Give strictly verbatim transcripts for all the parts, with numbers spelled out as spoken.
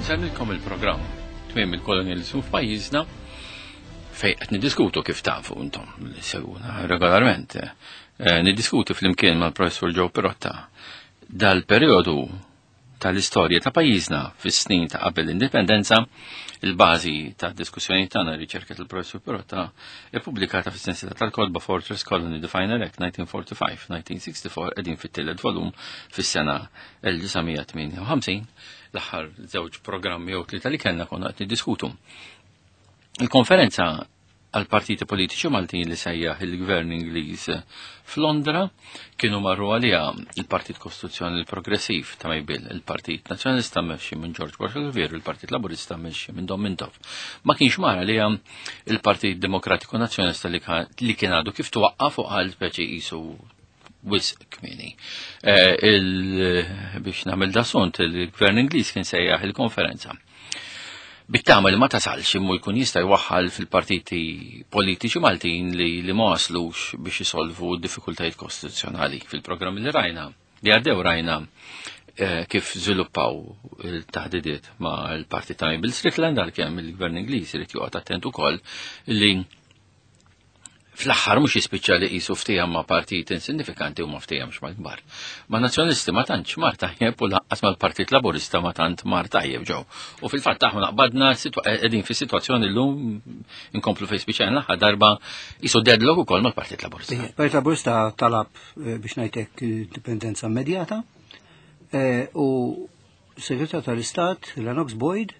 Insellmilkom il-programm Tmiem il-Kolonializmu f'pajjiżna, fejn qed niddiskutu, kif tafu intom li segwuna regolarment, eh, niddiskutu flimkien mal-Professur Joe Pirotta dal-perjodu tal-istorja ta' pajjiżna fis-snin ta' qabel l-indipendenza. Il-bażi ta' diskussjoni tagħna, riċerka tal-Professur Pirotta ippubblikata fis-sensiela tal-kotba Fortress Colony: The Final Act nineteen forty-five nineteen sixty-four. Qegħdin fit-tielet volum, fis-sena elf disa' mija tmienja u ħamsin. L-aħħar żewġ programmi jew tlieta li kellna konna qed niddiskutu il-konferenza għal partiti politiċi Maltin li sejjaħ il-Gvern Ingliż f'Londra. Kienu marru għalija il-Partit Kostituzzjonali Progressiv ta' May Bill, il-Partit Nazzjonalista mmexxi minn George Borg Olivier, il-Partit Laburista mmexxi minn Dom Mintoff. Ma kienx mar għalija il-Partit Demokratiku Nazzjonalista li li kien għadu kif twaqqaf u għal speċi qisu wisq kmieni. Eh, biex nagħmel da sunt, il-Gvern Ingliż kien sejjaħ il-konferenza bit-tama li ma tasalx, imma jkun jista' jwaħħal fil-partiti politiċi Maltin li, li ma waslux biex jisolvu diffikultajiet kostituzzjonali. Fil-programmi li rajna, li għaddew, rajna eh, kif żviluppaw il-taħdidiet ma' l-partit ta' Bill Strickland, għalkemm il-Gvern Ingliż irid joqgħod attent ukoll li fl-aħħar mhux jispiċċa li qisu ftehim ma' partit insignifikanti u ma ftehemx mal-kbar. Ma' Nazzjonalisti ma tantx mar tajjeb u lanqas mal-Partit Laburista ma tant mar tajjeb ġew. U fil-fatt aħna naqbadna qegħdin fi sitwazzjoni llum inkomplu fejn spiċċajna l-aħħar darba, qisu deadlock ukoll mal-Partit Laburista. Partit Laburista talab eh, biex ngħidlek indipendenza immedjata eh, u Segretarju tal-Istat Lennox Boyd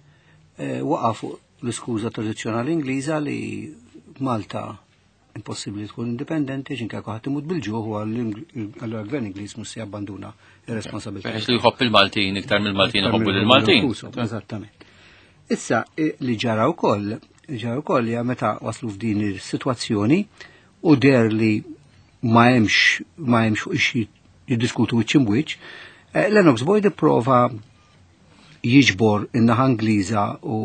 eh, waqa' fuq l-iskuża tradizzjonali Ingliża li Malta impossibbli tkun indipendenti x'inka ħadd imut bil-ġuħ u għall-gvern Ingliż mhux se jabbanduna ir-responsabilità. Peress li jħobb il-Maltin iktar mill-Maltin iħobbu lill-Maltin. Eżattament. Issa li ġara wkoll, ġara wkoll hija meta waslu f'din is-sitwazzjoni u deher li ma hemmx ma hemmx fuq ix jiddiskutu wiċċ imbwiċċ, Lennox Boyd ipprova jiġbor in-naħa Ingliża u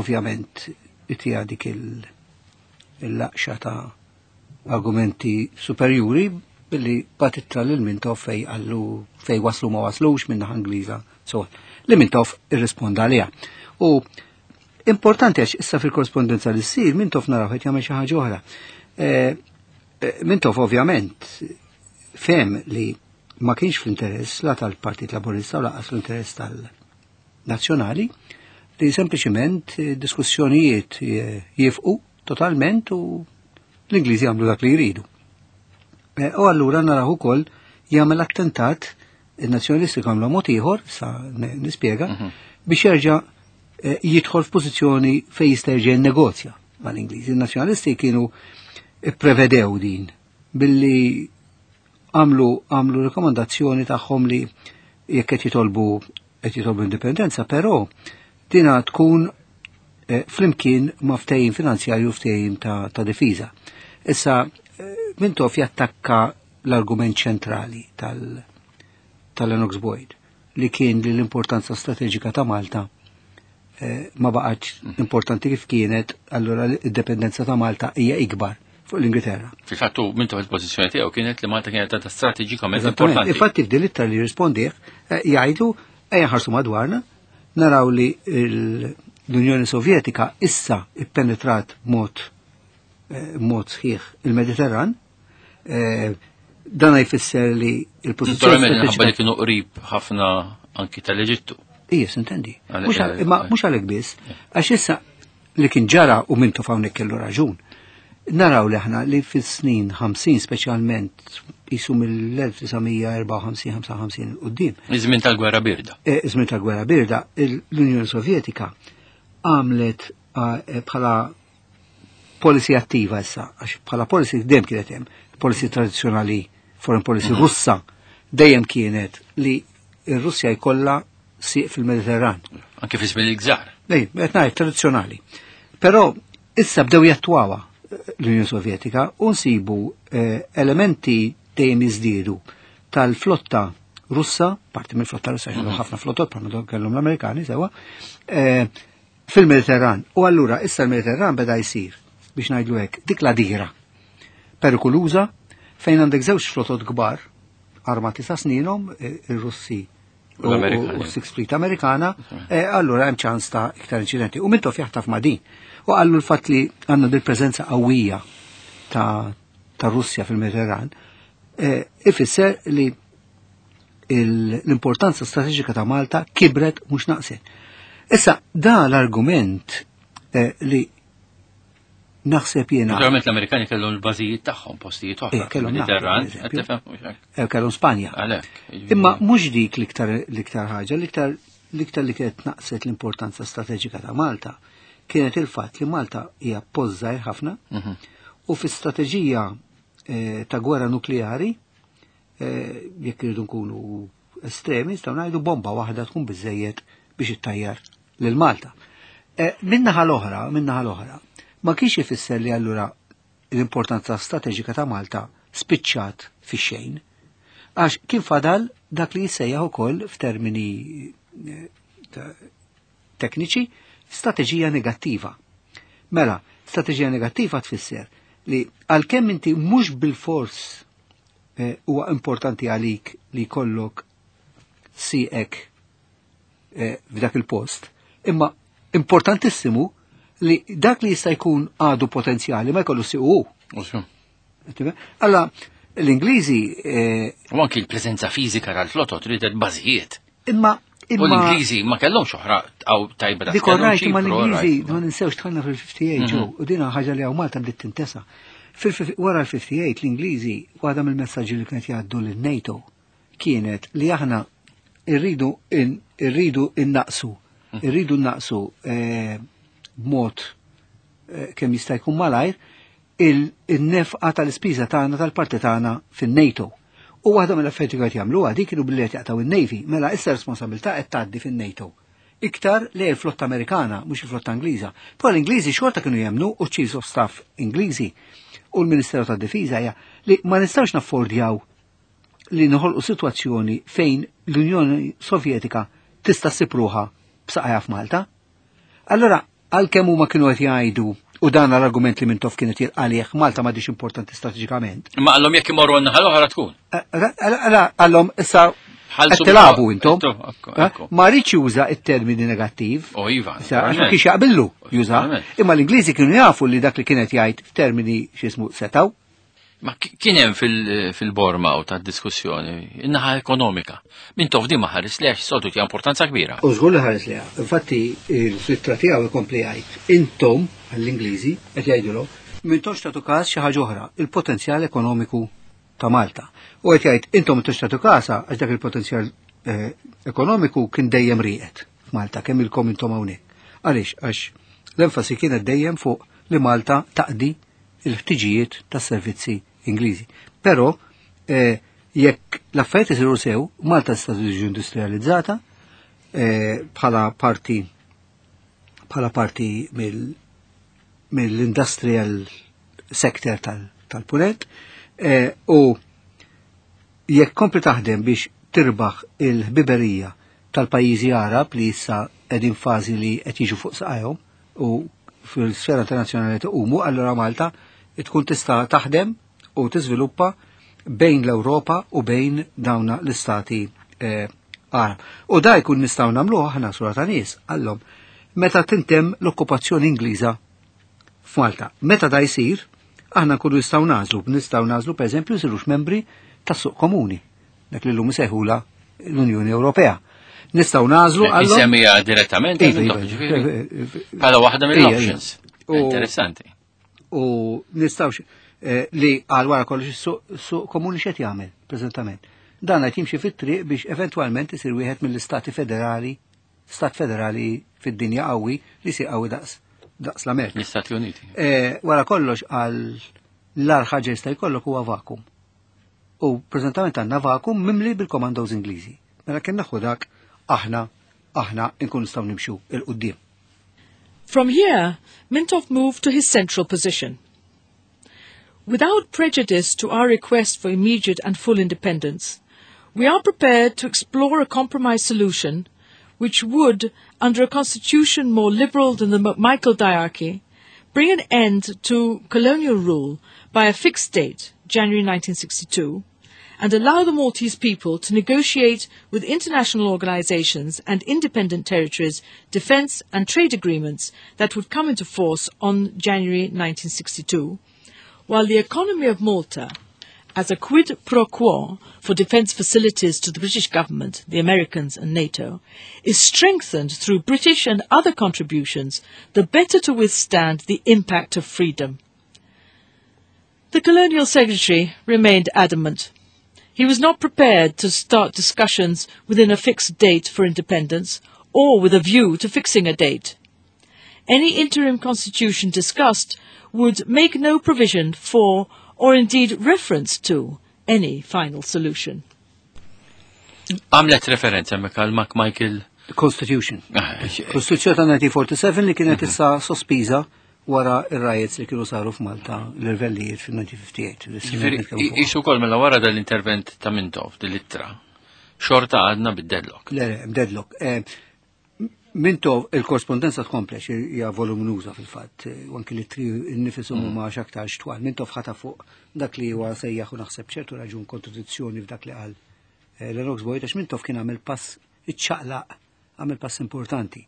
ovvjament itija dik il-laqxa ta' argumenti superjuri billi bagħat ittra lil Mintoff fejn qallu fejn waslu ma waslux minn naħa Ingliża. So, li Mintoff irrisponda għaliha. U importanti għax issa fil-korrespondenza li ssir Mintoff naraw qed jagħmel xi ħaġa oħra. Eh, eh, Mintoff ovvjament fehem li ma kienx fl-interess la tal-Partit Laburista u lanqas fl-interess tal-Nazzjonali li sempliċiment diskussjonijiet jifqu totalment u l-Ingliżi jagħmlu dak li jridu. E, u allura naraw ukoll jagħmel attentat, il-nazzjonalisti għamlu mod ieħor, sa nispjega, mhm. biex jerġa' e, jidħol f'pożizzjoni fejn jista' jerġa' jinnegozja mal-Ingliżi. Il-nazzjonalisti kienu prevedew din billi għamlu għamlu rekomandazzjoni tagħhom li jekk qed jitolbu qed jitolbu indipendenza, però dina tkun e, flimkien ma' ftehim finanzjarju, ftehim ta', ta' difiża. Issa, eh, Mintoff jattakka l-argument ċentrali tal- tal-Lennox Boyd li kien li l-importanza strateġika ta' Malta eh, ma baqgħetx importanti kif kienet, allura l-indipendenza ta' Malta hija ikbar fuq l-Ingilterra. Fil-fattu Mintoff il-pożizzjoni tiegħu kienet li Malta kienet ta' strateġikament importanti. Infatti f'din l-ittra li jirrispondih eh, jgħidu ejja ħarsu madwarna, naraw li l-Unjoni Sovjetika issa ippenetrat mod eh, mod sħiħ il-Mediterran. Eh, dan jfisser li il-pożizzjoni Naturalment li kienu qrib ħafna anki tal-Eġittu. Ija, intendi. Imma mhux għalhekk biss, għax issa li kien ġara, u Mintoff hawnhekk kellu raġun. Naraw li aħna li fis-snin ħamsin, speċjalment jisu mill-elf disa' mija erbgħa u ħamsin ħamsa u ħamsin quddiem. Iż-żmien tal-Gwerra Birda. Eh, iż-żmien tal-Gwerra Birda, l-Unjoni Sovjetika għamlet eh, bħala policy attiva issa, għax bħala policy dejjem kienet hemm, policy tradizzjonali, foreign policy mhm. Russa dejjem kienet li r-Russja jkollha sieq fil-Mediterran. Anke fi żmien il-gżar. Nej, qed ngħid tradizzjonali. Però issa bdew jattwawa l-Unjoni Sovjetika u nsibu eh, elementi dejjem jiżdiedu tal-flotta Russa, parti mill-flotta Russa, mm ħafna flottot bħalma kellhom l-Amerikani sewa, eh, fil-Mediterran. U allura issa l-Mediterran beda jsir, biex ngħidlu hekk, dik la dira perikoluża fejn għandek żewġ flotot kbar armati sa sninhom, eh, ir-Russi u Sixth Fleet Amerikana, eh, allura hemm ċans ta' iktar inċidenti. U Mintoff jaħtaf ma' din. U qallu l-fatt li għandna dil preżenza qawwija ta' ta' Russja fil-Mediterran, eh, ifisser li l-importanza strateġika ta' Malta kibret, mhux naqset. Issa, da l-argument eh, li naħseb jiena. Naturalment l-Amerikani kellhom l-bażijiet tagħhom postijiet oħra. Eh, kellhom Mediterran, Napoli, qed tifhem, mhux hekk? Eh, kellhom Spanja. Għalhekk. Jiġifieri- Imma mhux dik l-iktar l-iktar ħaġa, l-iktar l-iktar li kienet naqset l-importanza strateġika ta' Malta kienet il-fatt li Malta hija post żgħir ħafna Mhm. u fi strateġija eh, ta' gwerra nukleari, eh, jekk irridu nkunu estremi, nistgħu ngħidu bomba waħda tkun biżejjed biex ittajjar lil Malta. Eh, Min-naħa l-oħra, min-naħa l-oħra, ma kienx ifisser li allura l-importanza strateġika ta' Malta spiċċat fi xejn. Għax kien fadal dak li jissejjaħ ukoll f'termini eh, ta- tekniċi strateġija negattiva. Mela, strateġija negattiva tfisser li għalkemm inti mhux bil-fors eh, huwa importanti għalik li jkollok sieqek eh, f'dak il-post, imma importantissimu li dak li jista' jkun għadu potenzjali ma jkollu siequ. U xu. Alla, l-Ingliżi eh, U anki l-preżenza fiżika tal-flotot ridet bażijiet. imma U imma l-Ingliżi ma kellhomx oħra għaw tajba da Dik kellhom rajt ma Ċipru, l-Ingliżi right. ma ninsewx dħalna fil-ħamsa u ħamsin ġew u dina ħaġa li hawn Malta bdiet tintesa. Fil- Wara l-ħamsa u ħamsin l-Ingliżi, waħda mill-messaġġi li kienet jgħaddu lin-NATO kienet li aħna irridu in- irridu innaqsu, irridu innaqsu eh, b'mod eh, kemm jista' jkun malajr il-nefqa tal-ispiża tagħna, tal-parti tagħna fin-NATO. U waħda mill-affarijiet li qed jagħmluha dik kienu billi qed jaqtaw in-Navy, mela issa responsabilità qed tgħaddi fin-NATO. Iktar li l-flotta Amerikana, mhux il-flotta Ingliża. Però l-Ingliżi xorta kienu jemnu, u Chiefs of Staff Ingliżi u l-Ministeru tad-Difiża hija li ma nistgħux naffordjaw li noħolqu sitwazzjoni fejn l-Unjoni Sovjetika tista' ssib ruħha b'saqajha f'Malta. Allora, għalkemm huma kienu qed jgħidu, u dan l-argument li Mintoff kienet jilqalih, Malta m'għadix importanti strateġikament. Imma qallhom jekk imorru n-naħa l-oħra tkun. Allora qallhom issa Ħallsu qed tilagħbu bil- intom. Intom, ekku, Eh? ekku. Ma rridx juża it-termini negattiv. O iva. Issa, għax ma naturalment. kienx jaqbillu juża. Naturalment. Imma l-Ingliżi kienu jafu li dak li kienet jgħid f'termini x'ismu setaw. Ma ki- kien hemm fil- fil-borma u ta' diskussjoni in-naħa ekonomika. Mintoff di ma ħares lex soltu tija importanza kbira. U żgur li ħares liha. Infatti, il-ittra tiegħu ikompli jgħid, intom għall-Ingliżi qed jgħidulhom m'intomx tagħtu każ xi ħaġa oħra, il-potenzjal ekonomiku ta' Malta. U qed jgħid intom m'intomx tagħtu każha għax dak il-potenzjal eh, ekonomiku kien dejjem rieqed f'Malta kemm ilkom intom hawnhekk. Għaliex? Għax l-enfasi kienet dejjem fuq li Malta taqdi il-ħtiġijiet tas-servizzi Ingliżi. Però eh, jekk l-affarijiet isiru sew, Malta tista' tiġi industrializzata eh, bħala parti bħala parti mill mill-industrial sector tal- tal-punent eh, u jekk kompli taħdem biex tirbaħ il-ħbiberija tal-pajjiżi Arab li issa qegħdin fażi li qed jiġu fuq saqajhom u fil-sfera internazzjonali tqumu, allura Malta tkun tista' taħdem u tiżviluppa bejn l-Ewropa u bejn dawna l-istati eh, Arab. U da jkun nistgħu nagħmluha aħna sura ta' nies, qallhom, meta tintemm l-okkupazzjoni Ingliża f'Malta. Meta da jsir, aħna nkunu nistgħu nagħżlu, nistgħu nagħżlu pereżempju nsirux membri tas-suq komuni, dak li llum isejħula l-Unjoni Ewropea. Nistgħu nagħżlu qallhom Insemmija direttament, Iva, Mintoff, iva, ġifieri. Bħala waħda Ija, mill-options. ija. U- Interessanti. U nistgħux eh, li għal wara kollox is-suq suq komuni x'qed jagħmel preżentament. Dan qed jimxi fit-triq biex eventwalment isir wieħed mill-istati federali, stat federali fid-dinja qawwi li jsir qawwi daqs daqs l-Amerika. L-Istati Uniti. Eh, wara kollox għal l-agħar ħaġa jista' jkollok huwa vakum. U preżentament għandna vakum mimli bil-commandos Ingliżi. Mela kien naħu dak aħna aħna nkun nistgħu nimxu 'il quddiem. From here, Mintoff moved to his central position. Without prejudice to our request for immediate and full independence, we are prepared to explore a compromise solution which would, under a constitution more liberal than the McMichael diarchy, bring an end to colonial rule by a fixed date, January nineteen sixty-two, and allow the Maltese people to negotiate with international organizations and independent territories defense and trade agreements that would come into force on January nineteen sixty-two, while the economy of Malta, as a quid pro quo for defense facilities to the British government, the Americans and NATO, is strengthened through British and other contributions, the better to withstand the impact of freedom. The Colonial Secretary remained adamant. He was not prepared to start discussions within a fixed date for independence or with a view to fixing a date. Any interim constitution discussed would make no provision for, or indeed reference to, any final solution. Għamlet referenza hemmhekk għal McMichael Constitution. Ah, eh, Kostituzzjoni ta' nineteen forty-seven li kienet issa sospiża wara ir-riots li kienu saru f'Malta l-irvellijiet fin-nineteen fifty-eight. Ġifieri, isu wkoll mela wara dal-intervent ta' Mintoff, dil-ittra, xorta għadna bid-deadlock. Le, le, deadlock. Eh, Mintoff, il-korrespondenza tkomplex, hija voluminuża fil-fatt, u anki li tri nnifisom Mm. huma x'aktar xtwal. Mintoff ħata fuq dak li huwa sejjaħ u naħseb ċertu raġun kontradizzjoni f'dak li qal, eh, Lennox Boyd, għax Mintoff kien għamel pass iċċaqlaq, għamel pass importanti.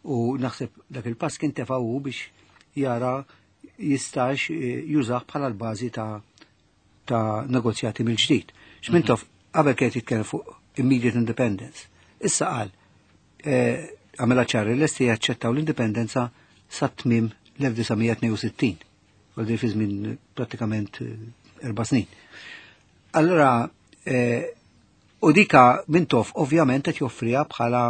U naħseb dak il-pass kien tefa' hu biex jara jistax, eh, jużah bħala l-bażi ta', ta' negozjati mill-ġdid. X'Mintoff qabel kien jitkellem fuq immediate independence. Issa qal, eh, għamela ċar li lesti jaċċettaw l-indipendenza sa tmiem l-elf disa' mija tnejn u sittin, għal fi żmien prattikament, eh, erba' snin. Allora, eh, u dika Mintoff ovvjament qed joffriha bħala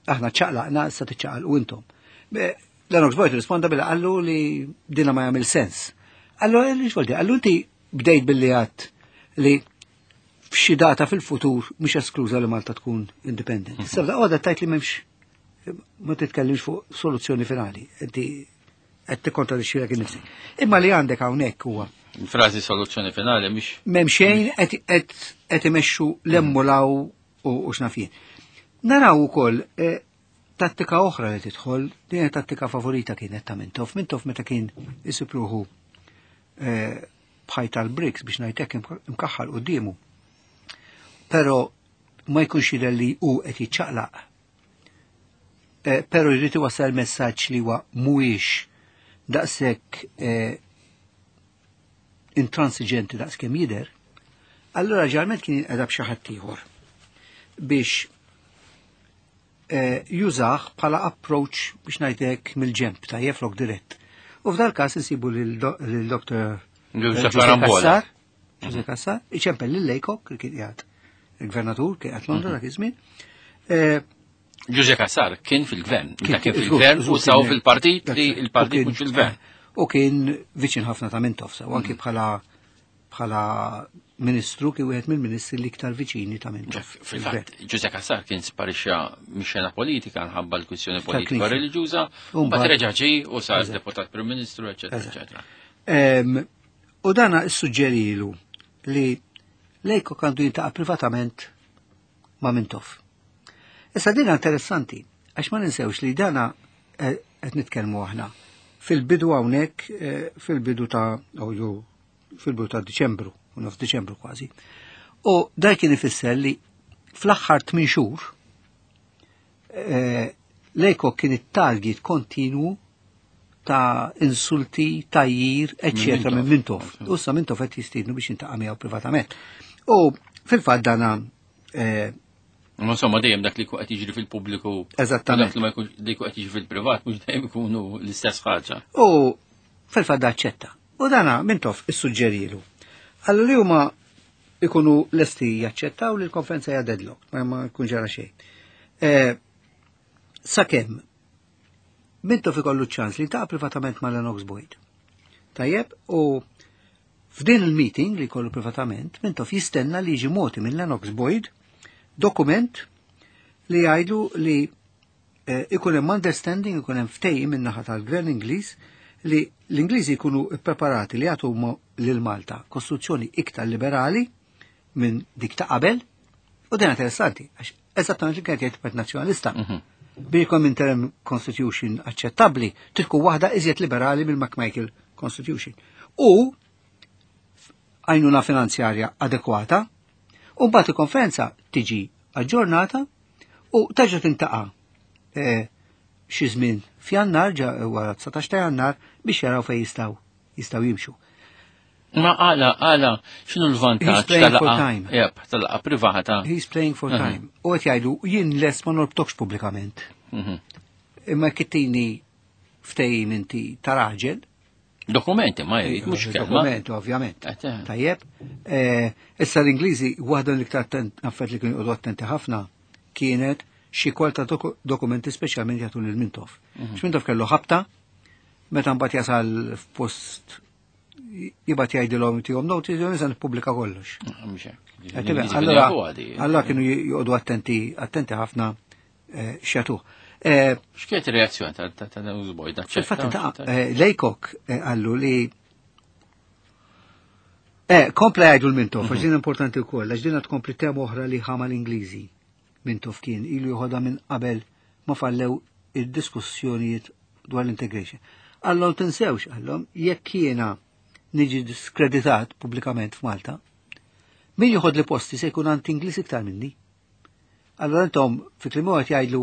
aħna ċaqlaqna issa tiċċaqalqu intom. Be, Lennox Boyd risponda billi qallu li dina ma jagħmel sens. Allu, eh, x'volti? Allu inti bdejt billi għadt li f'xi data fil-futur mhux eskluża li Malta tkun independent. Issa f'daqqa waħda tajt li m'hemmx, ma titkellimx fuq soluzzjoni finali. Inti qed tikkontradixxi lilek innifsek. Imma li għandek hawnhekk huwa Frażi soluzzjoni finali mhix m'hemm xejn qed, qed, qed imexxu l-emmulaw u, u x'naf jien. Naraw ukoll, eh, tattika oħra li tidħol, din hija tattika favorita kienet ta' Mintoff. Mintoff meta kien isibruħu, eh, bħaj tal-Bricks biex ngħidlek imka-, imkaħħal quddiemu. Però ma jkunx jidher li hu qed jiċċaqlaq. Eh, però jrid iwassal messaġġ li huwa mhuwiex daqshekk, eh, intransiġenti daqskemm jidher, allura ġarment kien jinqeda b'xi ħadd ieħor biex, eh, jużah bħala approach biex ngħidlek mill-ġemp tajjeb flok dirett. U f'dal każ insibu lil do-, lil Doktor Joseph Joseph Karambola. Cassar, Joseph Cassar, iċempel lil Laycock li kien qiegħed il-gvernatur kien qiegħed Londra dak iż-żmien. Eh, Joseph Cassar kien fil-gvern, Kien meta kien fil- fil-gvern żgur, u saw kien fil-partit li dak- il-partit u kien mhux fil-gvern. U kien viċin ħafna ta' Mintoff, u anki bħala, bħala ministru kien wieħed mill-ministri l-iktar viċini ta' Mintoff. Ġef, fil-fatt, Joseph Cassar kien sparixxa mix-xena politika nħabba l-kwistjoni Ta' politika Knisja. reliġjuża, U mbagħad mbagħad reġa' ġie u sar Eżatt. deputat Prim Ministru, eċetera, Eżatt. eċetera. Ehm, u dana issuġġerilu li Laycock għandu jintaqa' privatament ma' Mintoff. Issa dina interessanti, għax ma ninsewx li dana, eh, qed nitkellmu aħna fil-bidu hawnhekk, eh, fil-bidu ta' oh, ju, fil-bidu ta' Diċembru, u nofs Diċembru kważi. U dan kien ifisser li fl-aħħar tmien xhur, eh, Laycock kien it-target kontinwu ta' insulti, tajjir, eccetera, minn Mintoff. U sa Mintoff qed jistiednu biex jintaqa' miegħu privatament. U fil-fatt dana, eh, Ma insomma dejjem dak li jkun qed jiġri fil-pubbliku. Eżattament. Dak li ma jkunx li jkun qed jiġri fil-privat mhux dejjem ikunu l-istess ħaġa. U fil-fatt aċċetta. U dana Mintoff issuġġerilu. Allura li huma ikunu lesti jaċċettaw li l-konferenza hija deadlock, ma, ma jkun ġara xejn. Eh, sakemm Mintoff ikollu ċans li jiltaqa' privatament ma' Lennox Boyd. Tajjeb, u f'din il-meeting li jkollu privatament, Mintoff jistenna li jiġi moti minn Lennox Boyd dokument li jgħidu li, eh, ikun hemm understanding, ikun hemm ftehim minn naħa tal-Gvern Ingliż li l-Ingliżi jkunu ppreparati li jagħtu mo-, lil Malta kostruzzjoni iktar liberali minn dik ta' qabel, u din interessanti, għax eżattament li kienet jgħid Partit Nazzjonalista. Mhm. Biex ikun interim constitution aċċettabbli, tkun waħda iżjed liberali mill-McMichael Constitution. U għajnuna finanzjarja adekwata U mbagħad il-konferenza tiġi aġġornata u terġa' tiltaqa' eh, xi żmien f'Jannar, ġa wara dsatax ta' Jannar, biex jaraw fejn jistgħu jistgħu jimxu. Ma għala, għala, x'inhu l-vantaġġ He's playing for tal-laqgħa? time. Yep, tal-laqgħa privata. He's playing for time. U qed jgħidu, jien lest ma norbtokx pubblikament. Mhm. Imma tini ftehim inti ta' raġel. Dokumenti ma jrid, mhux kelma. Dokument, ovvjament. Eh, eh. Tajjeb. Eh, Issa l-Ingliżi, waħda l-iktar attent- affarijiet li kienu joqogħdu attenti ħafna kienet xi kwalità doku- dokumenti, speċjalment jagħtu lil Mintoff. Mhm. X'Mintoff kellu ħabta, meta mbagħad jasal f'post jibgħat jgħidilhom tihom notice, jgħidilhom, "Issa nippubblika kollox." Mhux hekk. Qed tifhem? L-Ingliżi kienu Allora, jafu għadi. allora kienu joqogħdu attenti attenti ħafna eh, x'jagħtuh. Eh, X'kienet ir-reazzjoni ta' ta' ta' Boyd? Fil-fatt ta' eh, Laycock eh, qallu li Eh, kompla jgħidu l-Mintoff, għax din importanti wkoll, għax din tkompli tema oħra li ħama l-Ingliżi. Mintoff kien ilu joħodha minn qabel ma fallew id-diskussjonijiet dwar l-integration. Qallhom, tinsewx, qallhom, jekk jiena niġi diskreditat pubblikament f'Malta, min joħod li posti se jkun anti-Ingliż iktar minni. Allora intom fi kliem qed jgħidlu,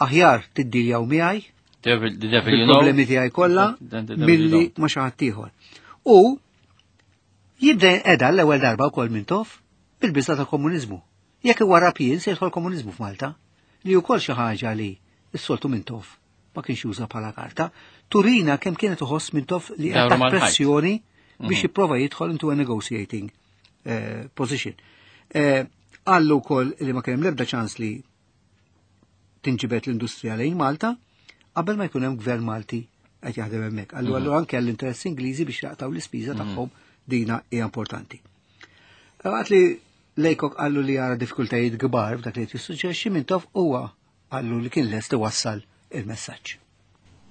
aħjar tiddiljaw miegħi Devil, the devil you know. bil-problemi tiegħi kollha Than the devil you milli don't. ma xi ħadd ieħor. U jibda edha l-ewwel darba wkoll Mintoff bil-biża ta' komuniżmu. Jekk iwarrab jien, se jidħol komuniżmu f'Malta, li wkoll xi ħaġa li s-soltu Mintoff ma kienx juża bħala karta, turina kemm kienet uħoss Mintoff li Dawru qed mal-ħajt. pressjoni biex jipprova jidħol into a negotiating eh, position. Eh, Qallu wkoll li ma kien hemm l-ebda ċans li tinġibet l-industrija lejn Malta qabel ma jkun hemm gvern Malti qed jaħdem hemmhekk. Allu allu anke għall-interess Ingliżi biex jaqtaw l-ispiża tagħhom dina hija importanti. Waqt li Laycock qallu li jara diffikultajiet kbar f'dak li qed jissuġġerixxi Mintoff, huwa qallu li kien lest iwassal il-messaġġ.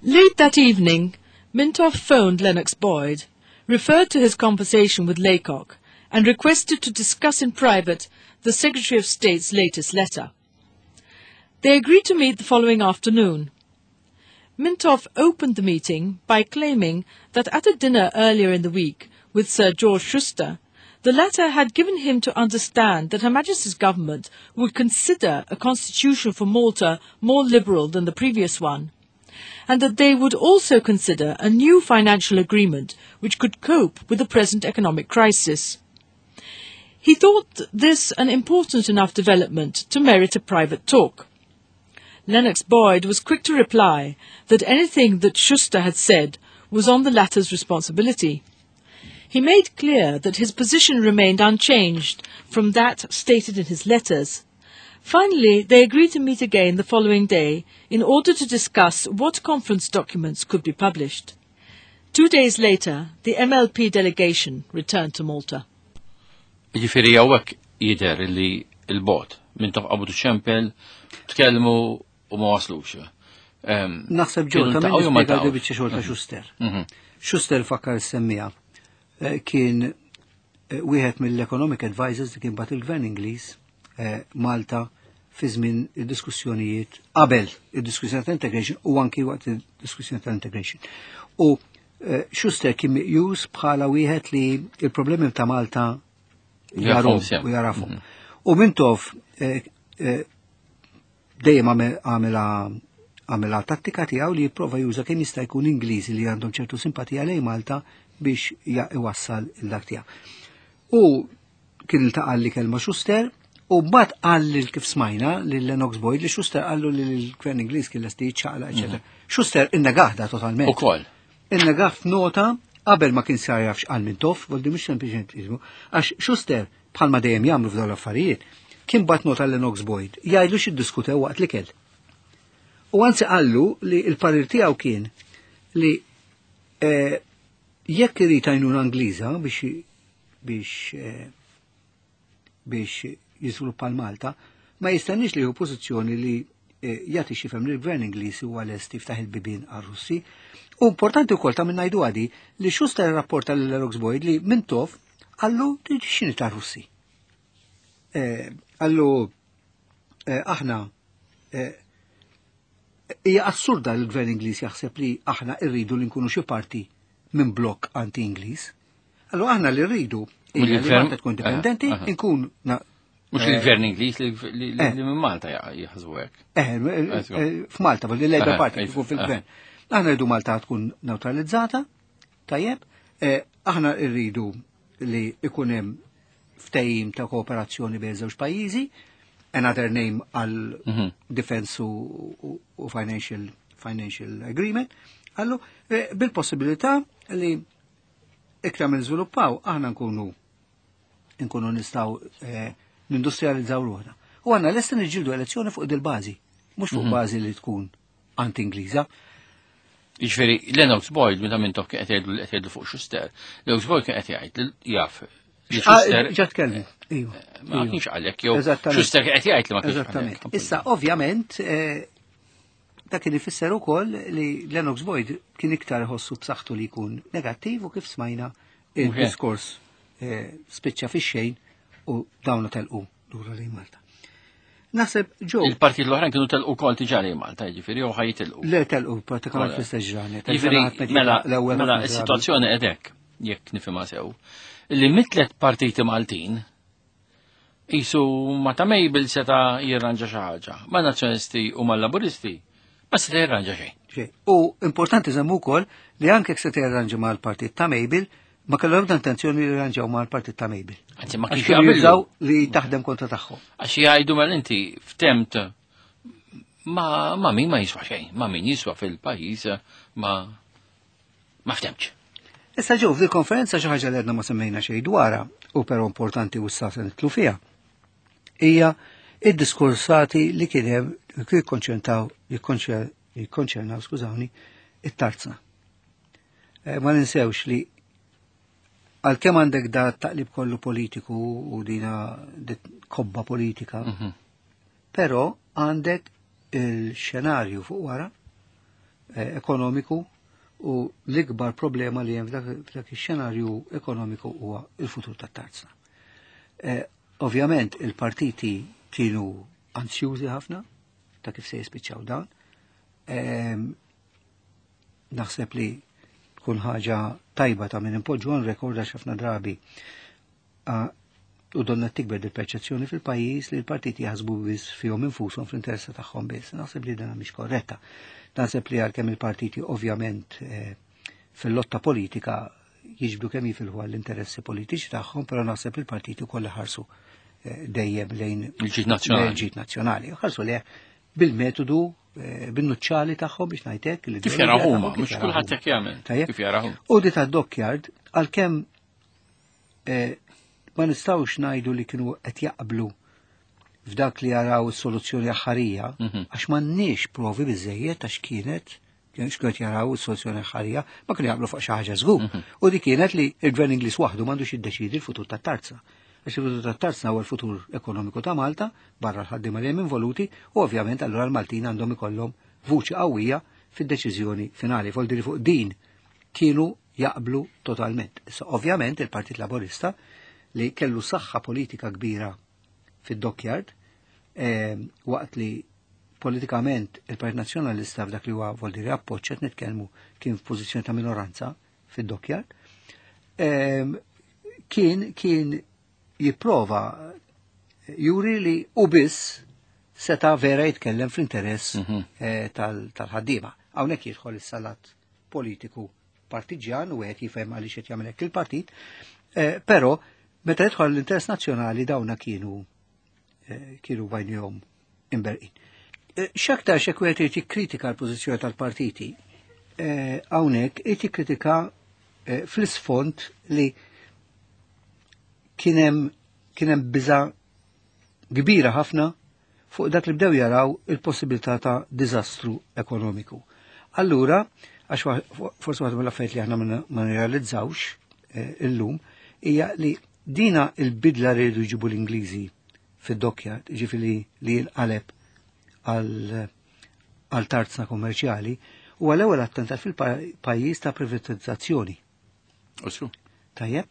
Late that evening, Mintoff phoned Lennox Boyd, referred to his conversation with Laycock, and requested to discuss in private the Secretary of State's latest letter. They agreed to meet the following afternoon. Mintoff opened the meeting by claiming that at a dinner earlier in the week with Sir George Schuster, the latter had given him to understand that Her Majesty's government would consider a constitution for Malta more liberal than the previous one, and that they would also consider a new financial agreement which could cope with the present economic crisis. He thought this an important enough development to merit a private talk. Lennox Boyd was quick to reply that anything that Schuster had said was on the latter's responsibility. He made clear that his position remained unchanged from that stated in his letters. Finally, they agreed to meet again the following day in order to discuss what conference documents could be published. Two days later, the M L P delegation returned to Malta. Ġifieri hawnhekk jidher li il-bot Mintoff qabdu ċempel, tkellmu u ma waslux. Em, Naħseb ġew kienu ta' ltaqgħu jew ma min nispjega ltaqgħux? biċċa xogħol ta' Schuster. Schuster, fakkar semmija, eh, kien eh, wieħed mill-economic advisors li kien bagħat il-gvern Ingliż eh, Malta fi żmien id-diskussjonijiet qabel id-diskussjoni ta' integration u anki waqt id-diskussjoni ta' integration. U eh, Schuster kien meqjus bħala wieħed li il-problemi ta' Malta Jafhom jarhom sew. U jarafhom. U Mintoff eh, eh, dejjem għamel- għamela għamela tattika tiegħu li jipprova juża kemm jista' jkun Ingliżi li għandhom ċertu simpatija lejn Malta biex ja- iwassal il-dak tiegħu. U kien iltaqa' li kelma Schuster u mbagħad qal lil, kif smajna, lil Lennox Boyd li Schuster qallu li l-gvern Ingliż kien lesti jiċċaqlaq, eċetera. Schuster innegah da totalment. Ukoll. Innegah f'nota qabel ma kien sar jaf x'qal Mintoff, voldi mhux sempliċement ismu, għax Schuster, bħalma dejjem jagħmlu f'dawn l-affarijiet, kien bagħat nota lil Lennox Boyd jgħidlu x'iddiskutew waqt li kell. U anzi qallu li il-parir tiegħu kien li eh, jekk irid għajnuna Ingliża biex biex eh, biex jiżviluppa l-Malta, ma jistenniex li hu pożizzjoni li eh, jagħti x'jifhem li l-gvern Ingliż huwa lest jiftaħ il-bibien għar-Russi. U importanti wkoll ta' minn ngħidu għadi li Schuster rapporta lil Lennox Boyd li Mintoff qallu x'inhi ta' Russi. Eh, Qallu eh, aħna eh, hija assurda li l-gvern Ingliż jaħseb li aħna rridu li nkunu xi parti minn blokk anti-Ingliż. Allora aħna li rridu hija li Mill-gvern- Malta tkun indipendenti, Aha, aha. nkun na- Mhux il-gvern Ingliż li minn Malta jaħsbu hekk. Eh, f'Malta, il-Labour Party jkun fil-gvern. Aħna rridu Malta tkun neutralizzata, tajjeb, aħna rridu li ikun hemm ftehim ta' kooperazzjoni bejn żewġ pajjiżi, another name għal defense u financial financial agreement, għallu bil-possibilità li iktar minn żviluppaw aħna nkunu nkunu nistgħu nindustrializzaw ruħna. U għandna lesti niġġieldu elezzjoni fuq dil-bażi, mhux fuq bażi li tkun anti-Ingliża. Jiġifieri Lennox Boyd meta Mintoff kien qed jgħidu fuq Schuster, Lennox Boyd kien qed jgħid li jaf li Schuster Ġa tkellem, iva. Ma kienx għalhekk jew Schuster kien qed jgħid li ma kienx għalhekk. Issa ovvjament dak kien ifisser ukoll li Lennox Boyd kien iktar iħossu b'saħħtu li jkun negattiv u kif smajna il-diskors spiċċa fix-xejn u dawna telqu lura lejn Malta. Naħseb ġew. Il-partit l-oħrajn kienu telqu wkoll diġà lejn Malta, jiġifieri jew ħajtilqu. Le telqu pratikament fl-istess ġranet. Jiġifieri mela mela s-sitwazzjoni qed hekk, jekk nifhimha sew, li mitlet partiti Maltin qisu ma ta' Mabel seta' jirranġa xi ħaġa, ma' Nazzjonisti u mal-Laburisti ma seta' jirranġa xejn. U importanti żemmu wkoll li anke jekk seta' jirranġa mal-partit ta' Mabel, ma kellhom ebda intenzjoni li jirranġaw mal-partit ta' Mabel. Anzi, ma kienx jaqbillu li taħdem kontra tagħhom. Għax jgħidu mal inti ftemt ma ma min ma jiswa xejn, ma min jiswa fil-pajjiż ma ma ftemx. Issa ġew fil-konferenza xi ħaġa li għedna ma semmejna xejn dwarha u però importanti u issa se nitlu fiha. Hija id-diskursati li kien hemm jikkonċentraw jikkonċernaw, skużawni, it-tarzna. Ma ninsewx li għalkemm għandek da taqlib kollu politiku u dina kobba politika, però għandek il-xenarju fuq wara ekonomiku u l-ikbar problema li hemm f'dak ix-xenarju ekonomiku huwa il-futur tat-tarzna. Ovvjament il-partiti kienu ansjużi ħafna ta' kif se jispiċċaw dawn. Naħseb li tkun ħaġa tajba ta' minn impoġġu għan rekord għax ħafna drabi u donna tikber il-perċezzjoni fil-pajjiż li l-partiti jaħsbu biss fihom infushom fl-interess tagħhom biss. Naħseb li dan mhix korretta. Naħseb li għalkemm il-partiti ovvjament fil-lotta politika jiġbdu kemm jifilħu għall-interessi politiċi tagħhom, però naħseb li l-partiti wkoll ħarsu dejjem lejn il-ġid nazzjonali. Il-ġid nazzjonali. Ħarsu lejh bil-metodu bin-nuċċali tagħhom biex ngħidlek li kif jaraw huma, mhux kulħadd hekk jagħmel. Kif jaraw. U di tad-dockyard għalkemm ma nistgħux ngħidu li kienu qed jaqblu f'dak li jaraw is-soluzzjoni aħħarija, għax m'għandniex provi biżejjed għax kienet x'kienu jaraw is-soluzzjoni aħħarija, ma kienu jaqblu fuq xi ħaġa żgur. U di kienet li l-Gvern Ingliż waħdu m'għandux jiddeċiedi l-futur tat-tarzna. Għax il-futur tat-tarzna huwa l-futur ekonomiku ta' Malta, barra l-ħaddiema li hemm involuti, u ovvjament allura l-Maltin għandhom ikollhom vuċi qawwija fid-deċiżjoni finali. Foldi li fuq din kienu jaqblu totalment. Issa ovvjament il-Partit Laburista li kellu saħħa politika kbira fid-dockyard, waqt li politikament il-Partit Nazzjonalista f'dak li huwa vuol dire appoġġ qed nitkellmu kien f'pożizzjoni ta' minoranza fid-dockyard, kien kien jipprova juri li u biss seta' vera jitkellem fl-interess tal-ħaddiema. Hawnhekk jidħol is-salat politiku partiġjan u qed jifhem għaliex qed jagħmel hekk il-partit, però meta jidħol l-interess nazzjonali dawna kienu kienu bajnihom imberqin. X'aktar x'hekk wieħed irid jikkritika l-pożizzjoni tal-partiti, hawnhekk irid jikkritika fl-isfond li kien hemm kien hemm biża' kbira ħafna fuq dak li bdew jaraw il-possibilità ta' diżastru ekonomiku. Allura, għax forsi waħda mill-affarijiet li aħna ma nirrealizzawx illum hija li dina il-bidla li jridu jġibu l-Ingliżi fid-dockyard, ġifieri li jinqaleb għal tarzna kommerċjali, huwa l-ewwel attentat fil-pajjiż ta' privatizzazzjoni. Usru. Tajjeb.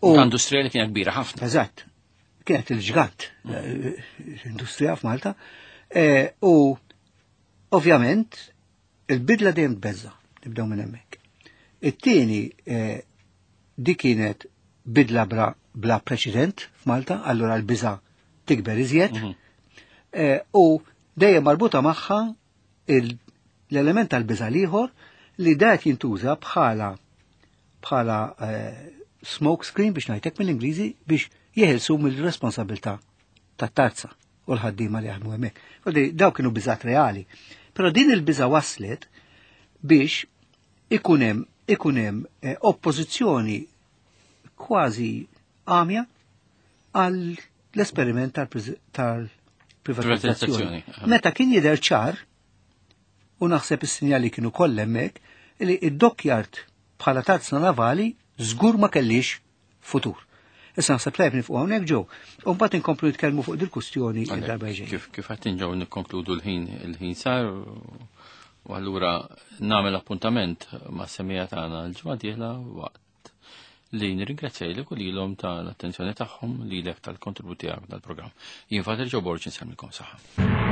U ta' industrija li kienet kbira ħafna. Eżatt. Kienet il-ġgant l-industrija f'Malta. U ovvjament il-bidla dejjem tbeżza, nibdew minn hemmhekk. It-tieni di kienet bidla bla, bla preċedent f'Malta, allura l-biża tikber iżjed eh, u dejjem marbuta magħha l-element tal-biża' ieħor li dat jintuża bħala bħala eh, smoke screen, biex ngħidlek mill-Ingliżi, biex jeħilsu mill-responsabilità tat-tarzna u l-ħaddiema li jaħdmu hemmhekk. Kodi daw kienu biżat reali. Però din il-biża waslet biex ikun hemm ikun hemm eh, oppożizzjoni kważi għamja għal l-esperiment tal-privatizzazzjoni. Meta kien jidher ċar, u naħseb is-sinjali kienu kollha hemmhekk, li id-dockyard bħala tarzna navali żgur ma kellix futur. Issa naħseb tajb nieqfu hawnhekk ġew. U mbagħad inkomplu nitkellmu fuq dil-kustjoni id-darba ġej. Kif kif qed inġew nikkonkludu, l-ħin il-ħin sar u allura nagħmel appuntament ma' semmiegħa tagħna l-ġimgħa dieħla, waqt li nirringrazzja u lilhom tal-attenzjoni tagħhom, lilek tal-kontribut tiegħek dal-programm. Jien Father Joe Borg, insellmilkom, saħħa.